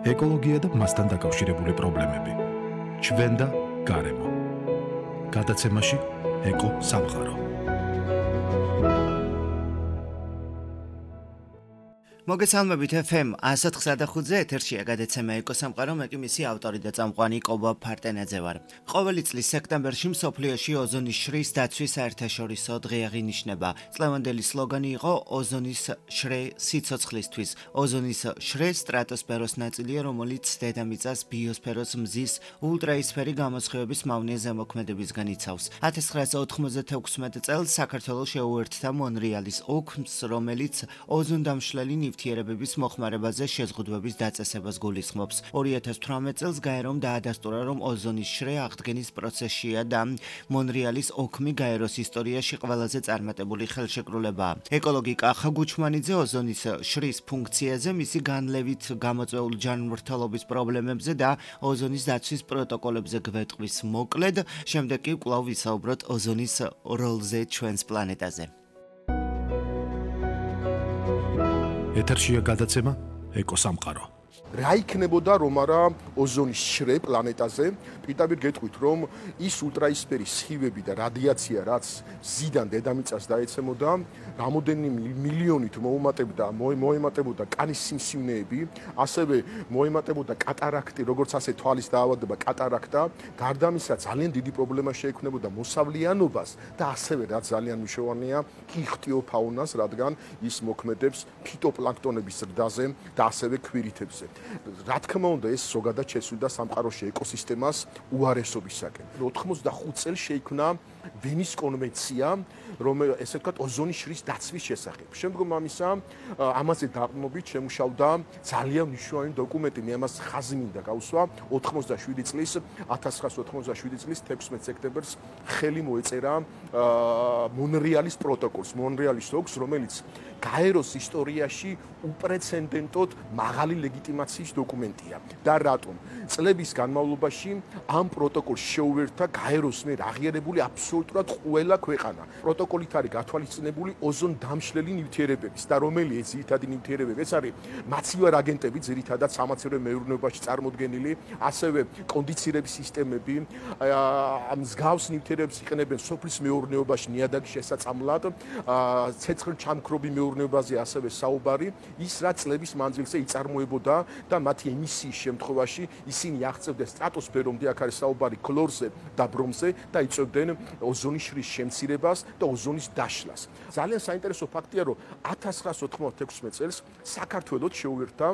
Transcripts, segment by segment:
ეკოლოგია და მასთან დაკავშირებული პრობლემები. ჩვენ და გარემო. გადაცემაში ეკო სამყარო. მოგესალმებით FM 104.5-ზე ეთერშია გადაცემა ეკო სამყარო, მე კი მისი ავტორი და წამყვანი კობა ფარტენაძე ვარ. ყოველი წლის სექტემბერში მსოფლიოში ოზონის შრის დაცვის საერთაშორისო დღე აღინიშნება. წლევანდელი სლოგანი იყო ოზონის შრე სიცოცხლისთვის. ოზონის შრე სტრატოსფეროს ნაწილია, რომელიც დედამიწას ბიოსფეროს მზის ულტრაისფერი გამოსხივების მავნე ზემოქმედებისგან იცავს. 1996 წელს საქართველოს შეუერთდა მონრეალის ოქმს, რომელიც ოზონდამშლელი ნივთიერებების მოხმარებაზე შეზღუდვების დაწესებას გულისხმობს. 2018 წელს გაერომ დაადასტურა, რომ ოზონის შრე აღდგენის პროცესშია და მონრეალის ოქმი გაეროს ისტორიაში ყველაზე წარმატებული ხელშეკრულებაა. ეკოლოგი კახა გუჩმანიძე ოზონის შრის ფუნქციაზე, მისი განლევით გამოწვეულ ჯანმრთელობის პრობლემებზე და ოზონის დაცვის პროტოკოლებზე გვეტყვის მოკლედ, შემდეგ კი კვლავ ვისაუბროთ ოზონის როლზე ჩვენს პლანეტაზე. ეთერშია გადაცემა ეკო სამყარო. რა იქნებოდა რომ არა ოზონის შრე პლანეტაზე? პირდაპირ გეტყვით, რომ ის ულტრაისფერი სხივები და რადიაცია, რაც ზიდან დედამიწას დაეცემოდა, რამოდენიმე მილიონით მოემატებოდა კანის სიმსივნეები, ასევე მოემატებოდა კატარაქტი, როგორც ასე თვალის დაავადება კატარაქტა, გარდა ამისა ძალიან დიდი პრობლემა შეექმნებოდა მოსავლიანობას და ასევე რაც ძალიან მნიშვნელოვანია, იხტიოფაუნას, რადგან ის მოქმედებს ფიტოპლანქტონების ზრდაზე და ასევე ქვირითებზე. რა თქმა უნდა, ეს ზოგადად შესვიდა სამყაროში ეკოსისტემას უარესობისაკენ. 85 წელს შეიქმნა ვენის კონვენცია, რომელიც ესე ვთქვათ ოზონის შრის დაცვის შესახებ. შემდგომ ამისა, ამაზე დაყრდნობით შემუშავდა ძალიან მნიშვნელოვანი დოკუმენტი, მე ამას ხაზი მინდა გავუსვა 1987 წლის 16 სექტემბერს ხელი მოეწერა მონრეალის პროტოკოლს, მონრეალის ოქს, რომელიც გაეროს ისტორიაში უპრეცედენტოდ მაღალი ლეგიტიმაციის დოკუმენტია. და რატომ? წლების განმავლობაში ამ პროტოკოლს შეუერთდა გაეროს მიერ აღიარებული აბსოლუტურად ყველა ქვეყანა. პროტოკოლით არის გათვალისწინებული ოზონდამშლელი ნივთიერებების და რომელი ძირითადი ნივთიერებები? ეს არის მაცივარ აგენტები, ძირითადად სამაცივრო მეურნეობაში წარმოდგენილი, ასევე კონდიცირების სისტემები, მსგავს ნივთიერებებს იყენებენ სოფლის მეურნეობაში ნიადაგის შესაწამლად, ცეცხლჩამქრობი მეურნეობაზე ასევე საუბარი, ის რაც წლების მანძილზე იწარმოებოდა და მათი ემისიის შემთხვევაში ისინი აღწევდნენ სტრატოსფერომდე, აქ არის საუბარი ქლორზე და ბრომზე და იწვევდნენ ოზონის შრის შემცირებას და ოზონის დაშლას. ძალიან საინტერესო ფაქტია, რომ 1996 წელს საქართველოს შეუერთდა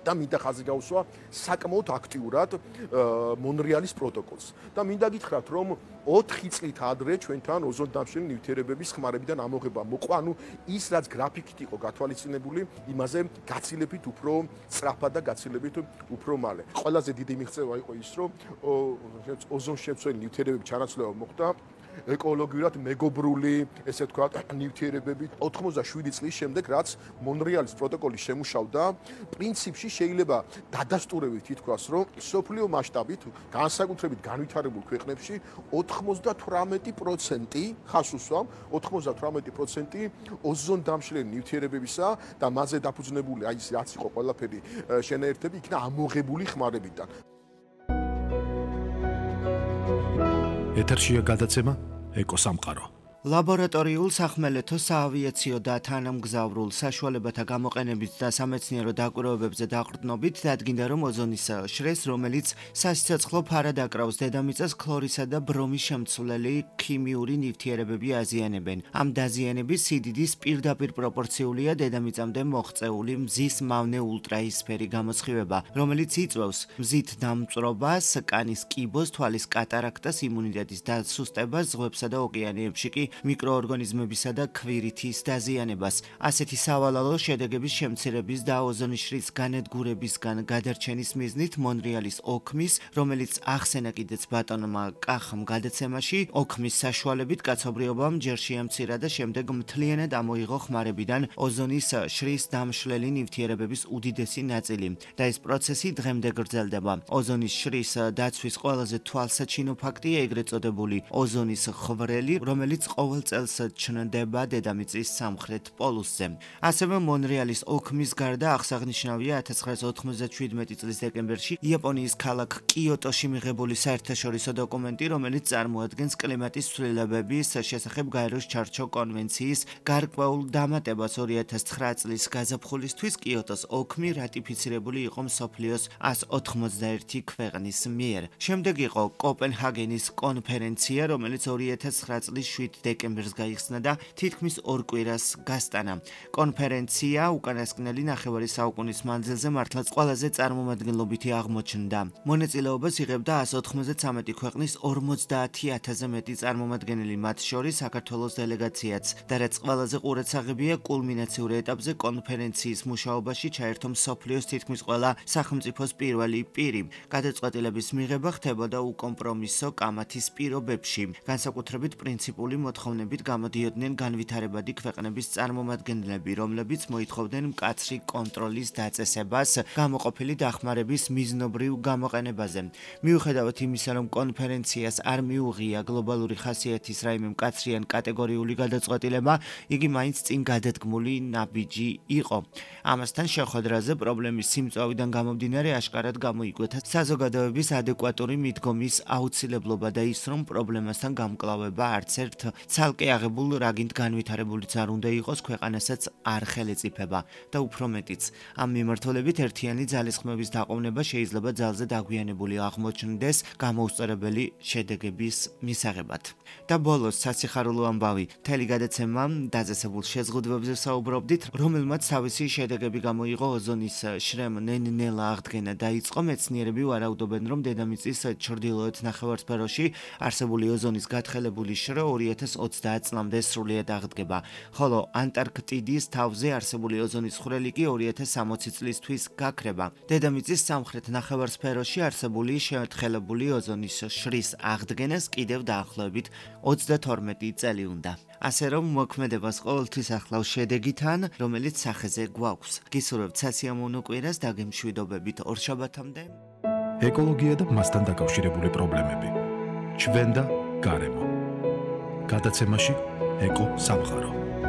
და მინდა ხაზი გავუსვა საკმაოდ აქტიურად მონრეალის პროტოკოლს. და მინდა გითხრათ, რომ 4 წლით ადრე ჩვენთან ოზონდამშლელი ნივთიერებების ხმარებიდან ამოღება მოყვა, ანუ ის რაც გრაფიკით იყო გათვალისწინებული, იმაზე გაცილებით უფრო სწრაფად და გაცილებით უფრო მალე. ყველაზე დიდი მიღწევა იყო ის, რომ ოზონშემცველი ნივთიერებების ჩანაცვლება მოხდა ეკოლოგიურად მეგობრული, ესე ვთქვათ, ნივთიერებებით 87 წლის შემდეგ, რაც მონრეალის პროტოკოლი შემუშავდა, პრინციპში შეიძლება დადასტურებით ითქვას, რომ სოფლიო მასშტაბით, განსაკუთრებით განვითარებულ ქვეყნებში 98% ხას უსვამ, 98% ოზონდამშლელი ნივთიერებებისა და მასზე დაფუძნებული, აი ეს რაც იყო ყველაფერი შენაერთები, იქნა ამოღებული ხმარებიდან. ეთერშია გადაცემა ეკო სამყარო. ლაბორატორიულ, სახმელეთო, საავიაციო და თანამგზავრულ საშუალებათა გამოყენებით და სამეცნიერო დაკვირვებებზე დაყრდნობით დადგინდა, რომ ოზონის შრეს, რომელიც სასიცოცხლო ფარად აკრავს დედამიწას, ქლორისა და ბრომის შემცვლელი ქიმიური ნივთიერებები აზიანებენ. ამ დაზიანების სიდიდის პირდაპირ პროპორციულია დედამიწამდე მოღწეული მზის მავნე ულტრაისფერი გამოსხივება, რომელიც იწვევს მზით დამწვრობას, კანის კიბოს, თვალის კატარაქტას, იმუნიტეტის დასუსტებას, ზღვებსა და ოკეანეებში კი მიკროორგანიზმებისა და ქვირითის დაზიანებას. ასეთი სავალალო შედეგების შემცირების და ოზონის შრის განადგურებისგან გადარჩენის მიზნით მონრეალის ოქმის, რომელიც ახსენა კიდეც ბატონმა კახამ გადაცემაში, ოქმის საშუალებით კაცობრიობამ ჯერ შეამცირა და შემდეგ მთლიანად ამოიღო ხმარებიდან ოზონის შრის დამშლელი ნივთიერებების უდიდესი ნაწილი და ეს პროცესი დღემდე გრძელდება. ოზონის შრის დაცვის ყველაზე თვალსაჩინო ფაქტია ეგრეთ წოდებული ოზონის ხვრელი, რომელიც ყოველ წელს ჩნდება დედამიწის სამხრეთ პოლუსზე. ასევე მონრეალის ოქმის გარდა აღსანიშნავია 1997 წლის დეკემბერში იაპონიის ქალაქ კიოტოში მიღებული საერთაშორისო დოკუმენტი, რომელიც წარმოადგენს კლიმატის ცვლილებების შესახებ გაეროს ჩარჩო კონვენციის გარკვეულ დამატებას 2009 წლის გაზაფხულისთვის კიოტოს ოქმი რატიფიცირებული იყო მსოფლიოს 191 ქვეყნის მიერ. შემდეგ იყო კოპენჰაგენის კონფერენცია, რომელიც 2009 წლის 7 დეკემბერს გაიხსნა და თითქმის ორ კვირას გასტანა. კონფერენცია უკანასკნელი ნახევარი საუკუნის მანძილზე მართლაც ყველაზე წარმომადგენლობითი აღმოჩნდა. მონაწილეობას იღებდა 193 ქვეყნის 50,000-ზე მეტი წარმომადგენელი, მათ შორის საქართველოს დელეგაციაც. და რაც ყველაზე ყურადსაღებია, კულმინაციურ ეტაპზე კონფერენციის მუშაობაში ჩაერთო მსოფლიოს თითქმის ყველა სახელმწიფოს პირველი პირი. გადაწყვეტილების მიღება ხდებოდა უკომპრომისო კამათის პირობებში. განსაკუთრებით პრინციპული მოთხოვნებით გამოდიოდნენ განვითარებადი ქვეყნების წარმომადგენლები, რომლებიც მოითხოვდნენ მკაცრი კონტროლის დაწესებას გამოყოფილი დახმარების მიზნობრივ გამოყენებაზე. მიუხედავად იმისა, რომ კონფერენციას არ მიუღია გლობალური ხასიათის რაიმე მკაცრი ან კატეგორიული გადაწყვეტილება, იგი მაინც წინ გადადგმული ნაბიჯი იყო. ამასთან შეხვედრაზე პრობლემის სიმწვავიდან გამომდინარე აშკარად გამოიკვეთა საზოგადოების ადეკვატური მიდგომის აუცილებლობა და ის, რომ პრობლემასთან გამკლავება არც ერთ ცალკე აღებულ რაგინთ განვითარებულიც არ უნდა იყოს, ქვეყანასაც არ ხელეწიფება და უფრო მეტიც. ამ მიმართულებით ერთიანი ძალისხმების დაყოვნება შეიძლება ძალზე დაგვიანებული აღმოჩნდეს გამოუსწორებელი შედეგების მისაღებად. და ბოლოს სასიხარულო ამბავი, მთელი გადაცემა დაწესებულ შეზღუდვებზე საუბრობდით, რომელმაც თავისი შედეგები გამოიღო ოზონის შრემ ნელ-ნელა აღდგენა დაიწყო. მეცნიერები ვარაუდობენ, რომ დედამიწის ჩრდილოეთ ნახევარსფეროში არსებული ოზონის გათხელებული შრე 2030 წლამდე სრულიად აღდგება, ხოლო ანტარქტიდის თავზე არსებული ოზონის ხვრელი კი 2060 წლისთვის გაქრება. დედამიწის სამხრეთ ნახევარსფეროში არსებული შეთხელებული ოზონის შრის აღდგენას კიდევ დაახლოებით 32 წელი უნდა. ასე რომ მოქმედებას ყოველთვის ახლავს შედეგიდან, რომელიც სახეზე გვაქვს. გისურვებთ სასიამოვნო კვირას და გემშვიდობებით ორშაბათამდე. ეკოლოგია და მასთან დაკავშირებული პრობლემები. ჩვენ და გარემო. გადაცემაში ეკო სამყარო.